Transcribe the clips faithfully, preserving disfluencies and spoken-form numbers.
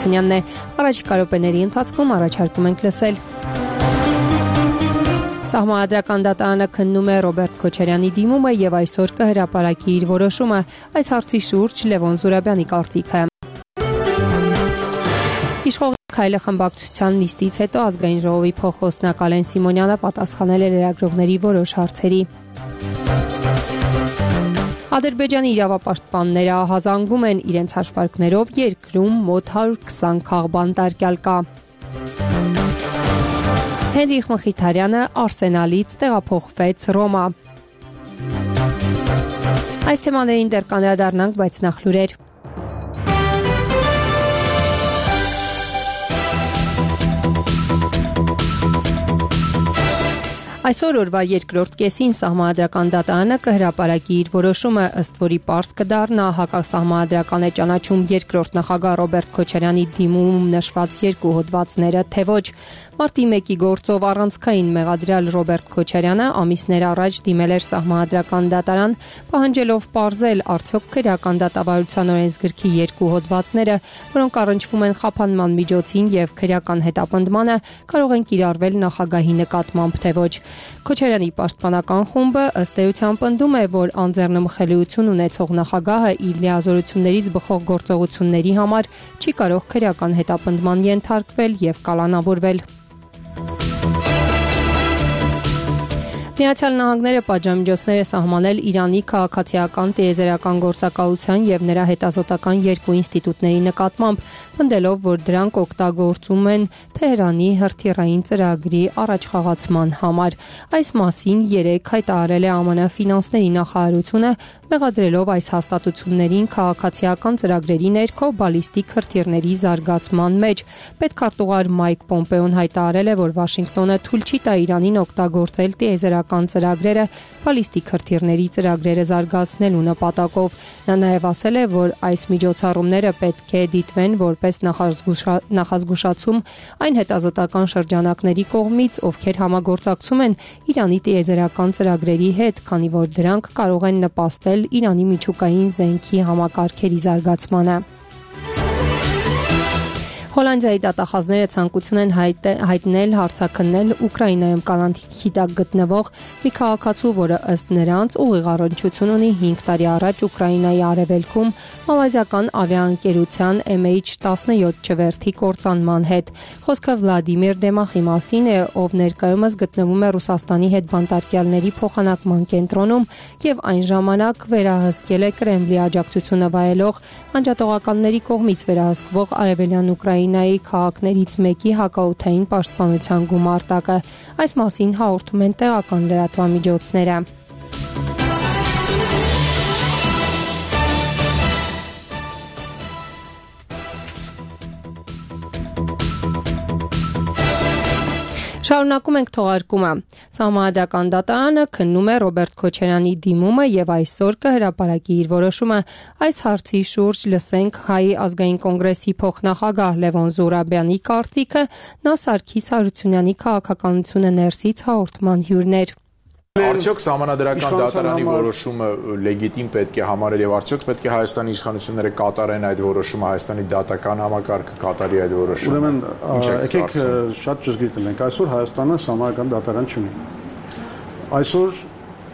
Հարությունյանն է։ Առաջիկա րոպեների ընթացքում առաջարկում ենք լսել. Սահմանադրական դատարանը քննում է Ռոբերտ Քոչարյանի դիմումը եւ այսօր կհրապարակի իր որոշումը։ Այս հարցի շուրջ Լևոն Զուրաբյանի կարծիքը։ Իշխող քայլը խմբակցության նիստից հետո ազգային ժողովի փոխխոսնակ Ալեն Սիմոնյանը պատասխանել է լրագրողների որոշ հարցերի։ Ադրբեջանի իրավապաշտպանները ահազանգում են իրենց հաշվարկներով երկրում մոտ հարյուր քսան քաղբան տարկյալ կա։ Հենրիխ Մխիթարյանը Արսենալից տեղափոխվեց Ռոմա։ Այս թեմաներին դեռ կանդրադառնանք, բայց նախ լուրեր։ Այսօր օրվա երկրորդ կեսին Սահմանադրական դատարանը կհրապարակի իր որոշումը, ըստ որի պարզ կդառնա հակասահմանադրական է ճանաչում երկրորդ նախագահ Ռոբերտ Քոչարյանի դիմումում նշված երկու հոդվածները, թե ոչ։ Մարտի մեկի գործով առանցքային մեղադրյալ Ռոբերտ Քոչարյանը ամիսներ առաջ դիմել էր Սահմանադրական դատարան, պահանջելով պարզել արդյոք քրեական դատավարության օրենսգրքի երկու հոդվածները, որոնք առնչվում են խափանման միջոցին եւ քրեական հետապնդմանը, կարող են կիրառվել նախագահի նկատմամբ, թե ոչ։ Քոչարյանի պաշտպանական խումբը ըստ էության պնդում է, որ անձեռնմխելիություն ունեցող նախագահը իր լիազորություններից բխող գործողությունների համար չի կարող քրեական հետապնդման ենթարկվել եւ կալանավորվել։ Միացյալ Նահանգները պատժամիջոցներ է սահմանել Իրանի քաղաքացիական տիեզերական գործակալության եւ նրա հետազոտական երկու ինստիտուտների նկատմամբ, պնդելով, որ դրանք օգտագործում են Թեհրանի հրթիռային ծրագրի առաջխաղացման համար։ Այս մասին երեկ հայտարարել է ԱՄՆ ֆինանսների նախարարությունը, մեղադրելով այս հաստատություններին քաղաքացիական ծրագրերի ներքո բալիստիկ հրթիռների զարգացման մեջ։ Պետքարտուղար Մայք Պոմպեոն հայտարարել է, որ Վաշինգտոնը թույլ չի տա Իրանին օգտագործել տիեզերական ծրագրերը բալիստիկ հրթիռների ծրագրերը զարգացնելու նպատակով։ Նա նաև ասել է, որ այս միջոցառումները պետք է դիտվեն որպես նախազգուշացում այն հետազոտական շրջանակների կողմից, ովքեր համագործակցում են Իրանի տիեզերական ծրագրերի հետ, քանի որ դրանք կարող են նպաստել Իրանի միջուկային զենքի համակարգերի զարգացմանը։ Հոլանդիայի դատախազները ցանկություն են հայտնել հարցաքննել Ուկրաինայում կանանթի տակ գտնվող մի քաղաքացու, որը ըստ նրանց ուղիղ առնչություն ունի հինգ տարի առաջ Ուկրաինայի արևելքում մալազիական ավիաընկերության Էմ Էյչ տասնյոթ չվերթի կործանման հետ։ Խոսքը Վլադիմիր Դեմախի մասին է, ով ներկայումս գտնվում է Ռուսաստանի հետ բանտարկյալների փոխանակման կենտրոնում եւ այն ժամանակ վերահսկել է Կրեմլի աջակցությունը վայելող անջատողականների կողմից վերահսկվող արևելյան Ուկրաինայի քաղաքներից մեկի հակաօդային պաշտպանության գումարտակը։ Այս մասին հաղորդում են տեղական լրատվամիջոցները։ Շարունակում ենք թողարկումը։ Սահմանադրական դատարանը քննում է Ռոբերտ Քոչարյանի դիմումը եւ այսօր կհրապարակի իր որոշումը։ Այս հարցի շուրջ լսենք Հայ ազգային կոնգրեսի փոխնախագահ Լևոն Զուրաբյանի կարծիքը, նա Սարգիս Հարությունյանի քաղաքականությունը ներսից հաղորդման հյուրներ։ Արդյոք Սահմանադրական դատարանի որոշումը լեգիտիմ պետք է համարել եւ արդյոք պետք է Հայաստանի իշխանությունները կատարեն այդ որոշումը, Հայաստանի դատական համակարգը կատարի այդ որոշումը։ Ուրեմն, եկեք շատ ճշգրիտ լինենք, այսօր Հայաստանը Սահմանադրական դատարան չունի։ Այսօր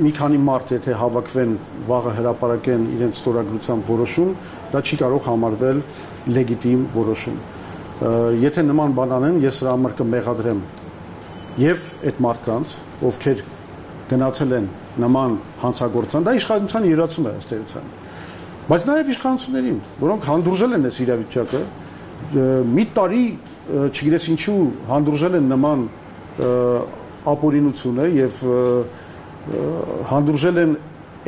մի քանի մարդ եթե հավաքվեն, վաղը հրապարակեն իրենց ստորագրությամբ որոշում, դա չի կարող համարվել լեգիտիմ որոշում։ Եթե նման բան անեն, ես սրա համար կմեղադրեմ եւ այդ մարդկանց, ովքեր գնացել են նման հանցագործան, դա իշխանության յուրացում է ըստ էության։ Բայց նաև իշխանություններին, որոնք հանդուրժել են այս իրավիճակը, մի տարի, չգիտես ինչու հանդուրժել են նման ապօրինությունը եւ հանդուրժել են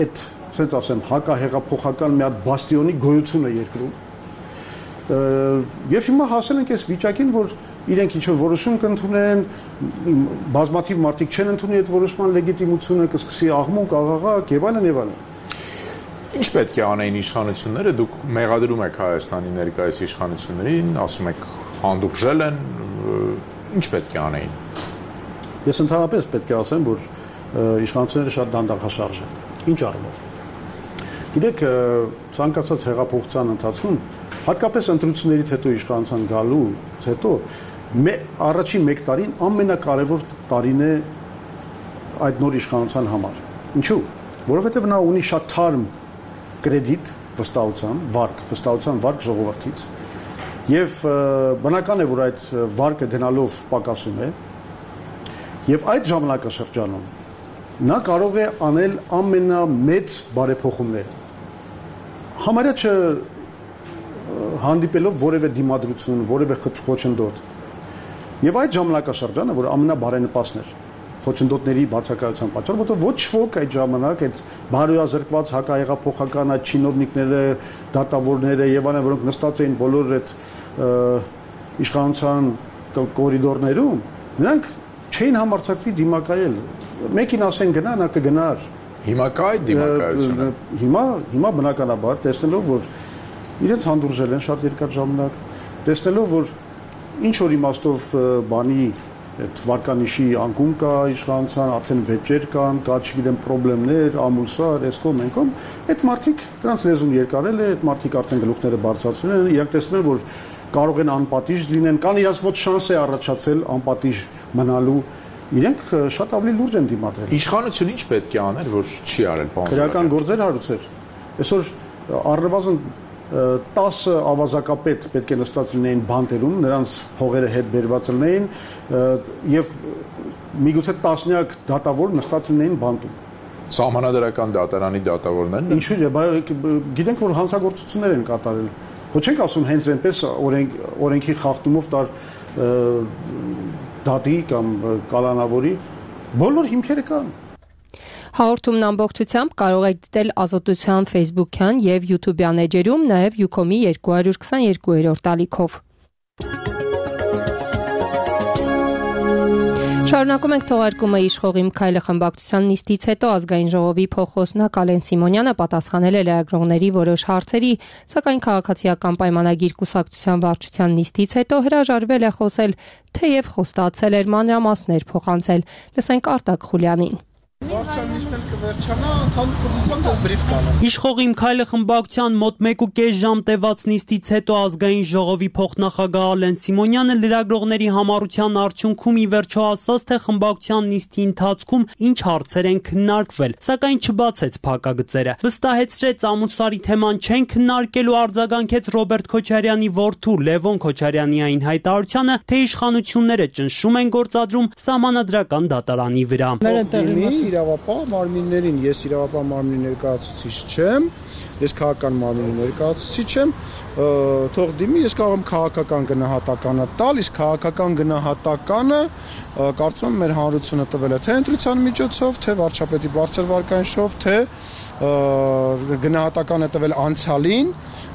այդ, ասենց ասեմ, հակահեղափոխական մի հատ բաստիոնի գոյությունը երկրում։ Եվ հիմա հասել ենք այս վիճակին, որ իրենք ինչ-որ որոշում կընդունեն, բազմաթիվ մարդիկ չեն ընդունի այդ որոշման լեգիտիմությունը, կսկսի աղմուկ, աղաղակ եւ այլն եւ այլն։ Ինչ պետք է անեին իշխանությունները, դուք մեղադրում եք Հայաստանի ներկայիս իշխանություններին, ասում եք հանդուրժել են, ինչ պետք է անեին։ Ես ընդհանրապես պետք է ասեմ, որ իշխանությունները շատ դանդաղաշարժ են։ Ինչ առումով։ Գիտեք, ցանկացած հեղափոխության ընթացքում Հատկապես ընտրություններից հետո իշխանության գալուց հետո առաջին մեկ տարին ամենակարևոր տարին է այդ նոր իշխանության համար։ Ինչու՞։ Որովհետև նա ունի շատ թարմ կրեդիտ վստահության, վարկ, վստահության վարկ ժողովրդից։ Եվ բնական է, որ այդ վարկը գնալով պակասում է, եւ այդ ժամանակաշրջանում նա կարող է անել ամենամեծ բարեփոխումները։ Համարյա չ հանդիպելով որևէ դիմադրություն, որևէ խոչընդոտ։ Եվ այդ ժամանակաշրջանը, որ ամենաբարենպաստն էր խոչընդոտների բացակայության պատճառ, որտեղ ոչ ոք այդ ժամանակ այդ բարոյազրկված հակահեղափոխական այդ չինովնիկները, դատավորները եւ այլն, որոնք նստած էին բոլոր այդ իշխանության կորիդորներում, նրանք չէին համարձակվի դիմակայել։ Մեկին ասեն գնա, նա կգնար։ Հիմա կա այդ դիմակայությունը։ Հիմա հիմա բնականաբար տեսնելով, որ իրենց հանդուրժել են շատ երկար ժամանակ, տեսնելով, որ ինչ որ իմաստով բանի այդ վարկանիշի անկում կա իշխանության, արդեն վեճեր կան, կա չգիտեմ խնդիրներ, ամուսար, էսկոմ, ենկոմ, այդ մարդիկ դրանց լեզուն երկարել է, այդ մարդիկ արդեն գլուխները բարձրացրել են, իրանք տեսնել, որ կարող են անպատիժ լինեն, կան իրաց մոտ շանս է առաջացել անպատիժ մնալու, իրենք շատ ավելի լուրջ են դիմադրել։ Իշխանությունը ինչ պետք է աներ, որ չի արել, պարոն Զարուհյան։ Քրեական գործեր հարուցեր։ Այսօր առնվազն տասը ավազակապետ պետք է նստած լինեին բանտերում, նրանց փողերը հետ բերված լինեին եւ միգուցե տասնյակ դատավոր նստած լինեին բանտում։ Սահմանադրական դատարանի դատավորներն։ Ինչու՞ է, բայց գիտենք, որ հանցագործություններ են կատարել։ Ոչ ենք ասում հենց այնպես օրենք օրենքի խախտումով տար դատի կամ կալանավորի բոլոր հիմքերը կան։ Հաղորդումն ամբողջությամբ կարող եք դիտել Ազատության Facebook-յան եւ YouTube-յան էջերում, նաեւ Ucom-ի երկու քսաներկու-րդ ալիքով։ Շարունակում ենք թողարկումը իշխողի Միքայելը խմբակցության նիստից հետո ազգային ժողովի փոխոսնակ Ալեն Սիմոնյանը պատասխանել է լրագրողների որոշ հարցերի, սակայն քաղաքացիական պայմանագիր կուսակցության վարչության նիստից հետո հրաժարվել է խոսել, թեև խոստացել էր մանրամասներ փոխանցել։ Լսենք Արտակ Խուլյանին։ Վարչության նիստն կվերջանա, ընդհանուր ձեզ բրիֆ կանեմ։ Իշխողի Միքայելը խմբակցության մոտ մեկ ու կես ժամ տևած նիստից հետո ազգային ժողովի փոխնախագահ Ալեն Սիմոնյանը լրագրողների համառության արդյունքում ի վերջո ասաց, թե խմբակցության նիստի ընթացքում ինչ հարցեր են քննարկվել, սակայն չբացեց փակագծերը։ Վստահեցրեց ամուսարի թեման չեն քննարկելու, արձագանքեց Ռոբերտ Քոչարյանի որդու Լևոն Քոչարյանի այն հայտարարությանը, թե իշխանությունները ճնշում են գործադրում սահմանադրական դատարանի վրա։ Իրավապահ մարմիններին, ես իրավապահ մարմնի ներկայացուցիչ չեմ, ես քաղաքական մարմնի ներկայացուցիչ եմ, թող դիմի, ես կարող եմ քաղաքական գնահատականը տալ, իսկ քաղաքական գնահատականը կարծում եմ մեր հանրությունը տվել է թե ընտրության միջոցով, թե վարչապետի բարձր վարկանիշով, թե գնահատականը տվել անցյալին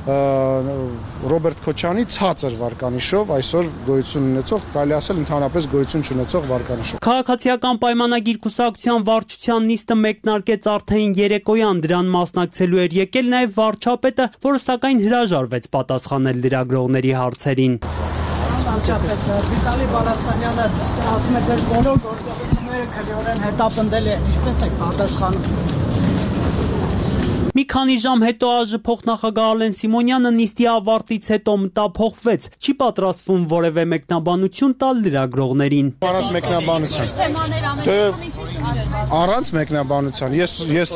Ռոբերտ Քոչյանի ցածր վարկանիշով, այսօր գոյություն ունեցող, կարելի ասել ընդհանրապես գոյություն չունեցող վարկանիշով։ Քաղաքացիական պայմանագիր կուսակցության վարչության նիստը մեկնարկեց արդեն երեկոյան, դրան մասնակցելու էր եկել նաև վարչապետը, որը սակայն հրաժարվեց պատասխանել լրագրողների հարցերին։ Վարչապետ Վիտալի Բալասանյանը ասում է, ձեր բոլոր գործողությունները քլիորեն հետապնդել է, ինչպես եք պատասխանում։ Մի քանի ժամ հետո ԱԺ փոխնախագահ Ալեն Սիմոնյանը նիստի ավարտից հետո մտափոխվեց, չի պատրաստվում որևէ մեկնաբանություն տալ լրագրողներին։ Առանց մեկնաբանության։ Առանց մեկնաբանության։ Ես ես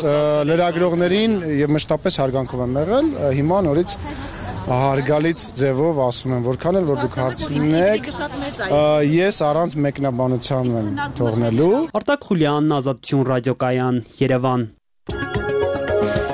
լրագրողներին եւ մշտապես հարգանքով եմ եղել, հիմա նորից հարգալից ձևով ասում եմ, որքան էլ որ դուք հարցնեք, ես առանց մեկնաբանության եմ թողնելու։ Արտակ Խուլյան, Ազատություն ռադիոկայան, Երևան։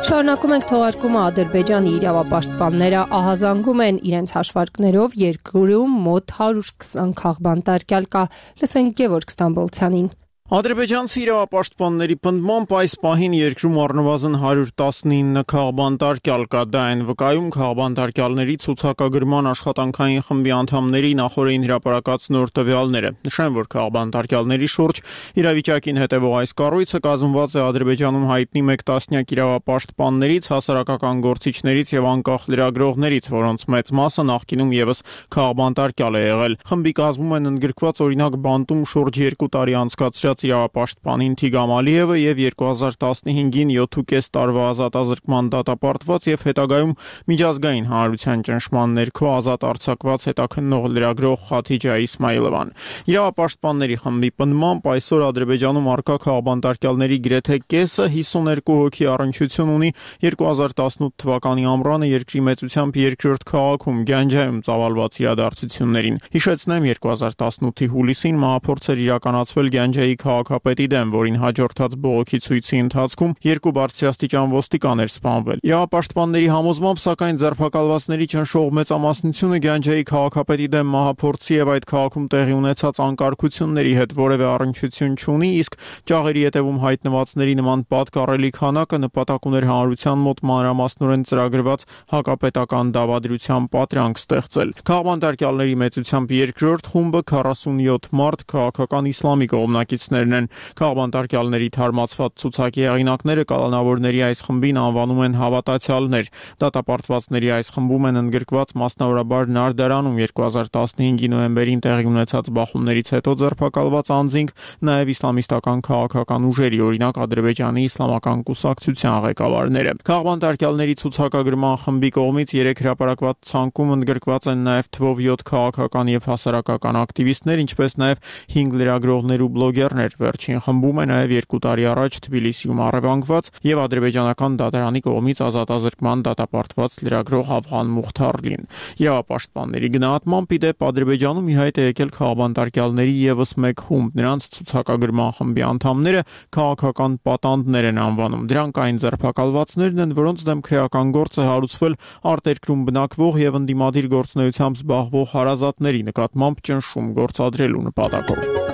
Շարունակում ենք թողարկումը Ադրբեջանի իրավապաշտպանները ահազանգում են իրենց հաշվարկներով երկրում մոտ հարյուր քսան քաղբանտարկյալ կա, լսենք Գևորգ Ստամբոլցյանին։ Ադրբեջանցի իրավապաշտպանների պնդմամբ այս պահին երկրում առնվազն հարյուր տասնինը քաղբանտարկյալ կա, դա են վկայում քաղբանտարկյալների ցուցակագրման աշխատանքային խմբի անդամների նախօրեին հրապարակած նոր տվյալները։ Նշեմ, որ քաղբանտարկյալների շուրջ իրավիճակին հետևող այս կառույցը կազմված է Ադրբեջանում հայտնի մեկ տասնյակ իրավապաշտպաններից, հասարակական գործիչներից եւ անկախ լրագրողներից, որոնց մեծ մասը նախկինում եւս քաղբանտարկյալ է եղել։ Խմբի կազմում են ընդգրկված օրինակ բանտում շուրջ երկու տարի անցկացրած կոչված իրավապաշտպանին Թիգրամ Ալիևը եւ երկու հազար տասնհինգին յոթ ու կես տարվա ազատազրկման դատապարտված եւ հետագայում միջազգային հանրության ճնշման ներքո ազատ արձակված հետաքննող լրագրող Խաթիջա Իսմայիլովան։ Իրավապաշտպանների խմբի պնդմամբ այսօր Ադրբեջանում առկա քաղաքաբանտարկյալների գրեթե կեսը հիսուներկու հոգի առնչություն ունի երկու հազար տասնութ թվականի ամռանը երկրի մեծությամբ երկրորդ քաղաքում Գանջայում ծավալված իրադարձություններին։ Հիշեցնեմ, երկու հազար տասնութի հուլիսին մահափորձ էր իրականացվել Գանջայի քաղաքապետի դեմ, որին հաջորդած բողոքի ցույցի ընթացքում երկու բարձրաստիճան ոստիկաններ սպանվել։ Իրավապաշտպանների համոզմամբ, սակայն ձերբակալվածների ճնշող մեծամասնությունը Գանջայի քաղաքապետի դեմ մահափորձի եւ այդ քաղաքում տեղի ունեցած անկարգությունների հետ որևէ առնչություն չունի, իսկ ճաղերի ետևում հայտնվածների նման պատկառելի քանակը նպատակ ուներ հանրության մոտ մանրամասնորեն ծրագրված հակապետական դավադրության պատրանք ստեղծել։ Քաղաքաբանտարկյալների մեծությամբ երկրորդ խումբը քառասունյոթ մարդ քաղաքական իսլամի կողմնակիցներն են։ Քաղաքաբանտարկյալների թարմացված ցուցակի հեղինակները կալանավորների այս խմբին անվանում են հավատացյալներ։ Դատապարտվածների այս խմբում են ընդգրկված մասնավորաբար Նարդարանում երկու հազար տասնհինգի նոյեմբերին տեղի ունեցած բախումներից հետո ձերբակալված անձինք, նաև իսլամիստական քաղաքական ուժերի, օրինակ Ադրբեջանի իսլամական կուսակցության ղեկավարները։ Քաղաքաբանտարկյալների ցուցակագրման խմբի կողմից երեք հրապարակված ցանկում ընդգրկված են նաև թվով յոթ քաղաքական եւ հասարակական ակտիվիստներ, ինչպես նաև հինգ լրագրողներ ու բլոգերներ։ Վերջին խմբում է նաև երկու տարի առաջ Թբիլիսիում առևանգված եւ ադրբեջանական դատարանի կողմից ազատազրկման դատապարտված լրագրող Աֆղան Մուխթարլին։ Իրավապաշտպանների գնահատմամբ, ի դեպ, Ադրբեջանում ի հայտ է եկել քաղաքաբանտարկյալների եւս մեկ խումբ։ Նրանց ցուցակագրման խմբի անդամները քաղաքական պատանդներ են անվանում։ Դրանք այն ձերբակալվածներն են, որոնց դեմ քրեական գործ է հարուցվել արտերկրում բնակվող եւ ընդդիմադիր գործունեությամբ զբաղվող հարազատների նկատմամբ ճնշում գործադրելու նպատակով։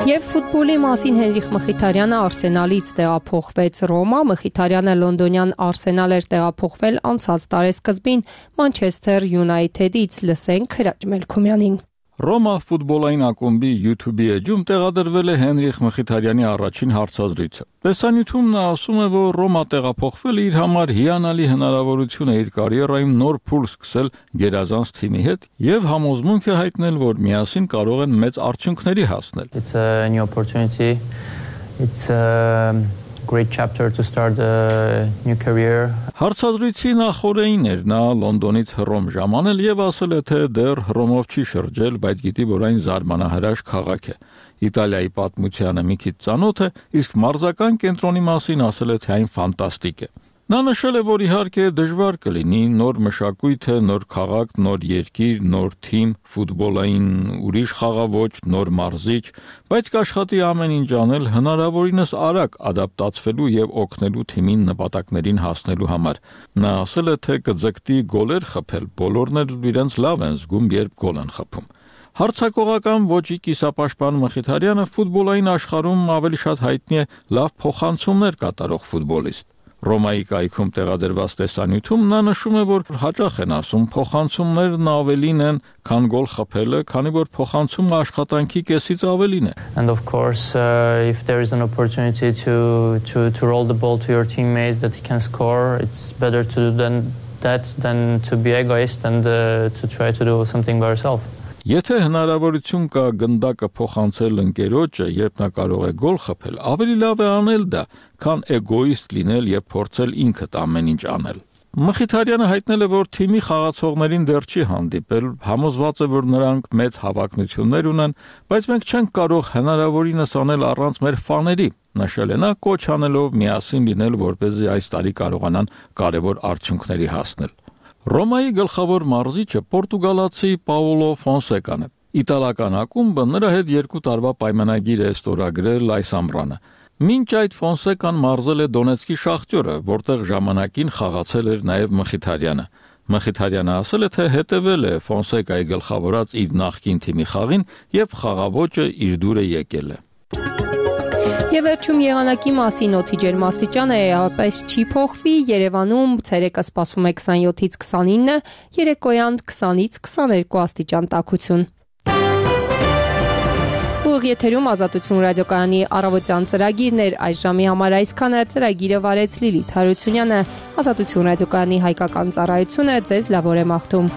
Եվ ֆուտբոլի մասին Հենրիխ Մխիթարյանը Արսենալից տեղափոխվեց Ռոմա։ Մխիթարյանը լոնդոնյան Արսենալ էր տեղափոխվել անցած տարեսկզբին Մանչեսթեր Յունայթեդից։ Լսենք Հրաչ Մելքումյանին։ Ռոմա ֆուտբոլային ակումբի YouTube-ի էջում տեղադրվել է Հենրիխ Մխիթարյանի առաջին հարցազրույցը։ Տեսանյութում նա ասում է, որ Ռոմա տեղափոխվելը իր համար հիանալի հնարավորություն է իր կարիերայում նոր փուլ սկսել գերազանց թիմի հետ եւ համոզմունք է հայտնել, որ միասին կարող են մեծ արդյունքների հասնել։ It's a new opportunity. It's a great chapter to start a new career. Հարցազրույցի նախօրեին էր նա Լոնդոնից Հռոմ ժամանել եւ ասել է, թե դեռ Հռոմով չի շրջել, բայց գիտի, որ այն զարմանահրաշ քաղաք է։ Իտալիայի պատմությանը մի քիչ ծանոթ է, իսկ մարզական կենտրոնի մասին ասել է, թե այն ֆանտաստիկ է։ Նա նշել է, որ իհարկե դժվար կլինի նոր մշակույթ է, նոր քաղաք, նոր երկիր, նոր թիմ, ֆուտբոլային ուրիշ խաղաոճ, նոր մարզիչ, բայց կաշխատի ամեն ինչ անել հնարավորինս արագ ադապտացվելու եւ օգնելու թիմին նպատակներին հասնելու համար։ Նա ասել է, թե կձգտի գոլեր խփել, բոլորն էլ իրենց լավ են զգում, երբ գոլ են խփում։ Հարցակողական ոճի կիսապաշտպան Մխիթարյանը ֆուտբոլային աշխարհում ավելի շատ հայտնի է լավ փոխանցումներ կատարող ֆուտբոլիստ։ Ռոմայի կայքում տեղադրված տեսանյութում նա նշում է, որ հաճախ են ասում փոխանցումներն ավելին են, քան գոլ խփելը, քանի որ փոխանցումը աշխատանքի կեսից ավելին է։ And of course, uh, if there is an opportunity to to to roll the ball to your teammate that he can score, it's better to do than that than to be egoist and uh, to try to do something by yourself. Եթե հնարավորություն կա գնդակը փոխանցել ընկերոջը, երբ նա կարող է գոլ խփել, ավելի լավ է անել դա, քան էգոիստ լինել եւ փորձել ինքդ ամեն ինչ անել։ Մխիթարյանը հայտնել է, որ թիմի խաղացողներին դեռ չի հանդիպել, համոզված է, որ նրանք մեծ հավակնություններ ունեն, բայց մենք չենք կարող հնարավորինս անել առանց մեր ֆաների։ Նշել է նա, կոչ անելով միասին լինել, որպեսզի այս տարի կարողանան կարևոր արդյունքների հասնել։ Ռոմայի գլխավոր մարզիչը պորտուգալացի Պաուլո Ֆոնսեկան է։ Իտալական ակումբը նրա հետ երկու տարվա պայմանագիր է ստորագրել այս ամռանը։ Մինչ այդ Ֆոնսեկան մարզել է Դոնեցկի Շախտյորը, որտեղ ժամանակին խաղացել էր նաև Մխիթարյանը։ Մխիթարյանը ասել է, թե հետևել է Ֆոնսեկայի գլխավորած իր նախկին թիմի խաղին եւ խաղաոճը իր դուր է եկել է։ Եվ վերջում եղանակի մասին օդի ջերմաստիճանը էապես չի փոխվի։ Երևանում ցերեկը սպասվում է քսանյոթից քսանինը, երեկոյան քսանից քսաներկու աստիճան տաքություն։ Ուղիղ եթերում Ազատություն ռադիոկայանի առավոտյան ծրագիրն էր, այս ժամի համար այսքանը։ Ծրագիրը վարեց Լիլիթ Հարությունյանը։ Ազատություն ռադիոկայանի հայկական ծառայությունը ձեզ լավ օր է մաղթում։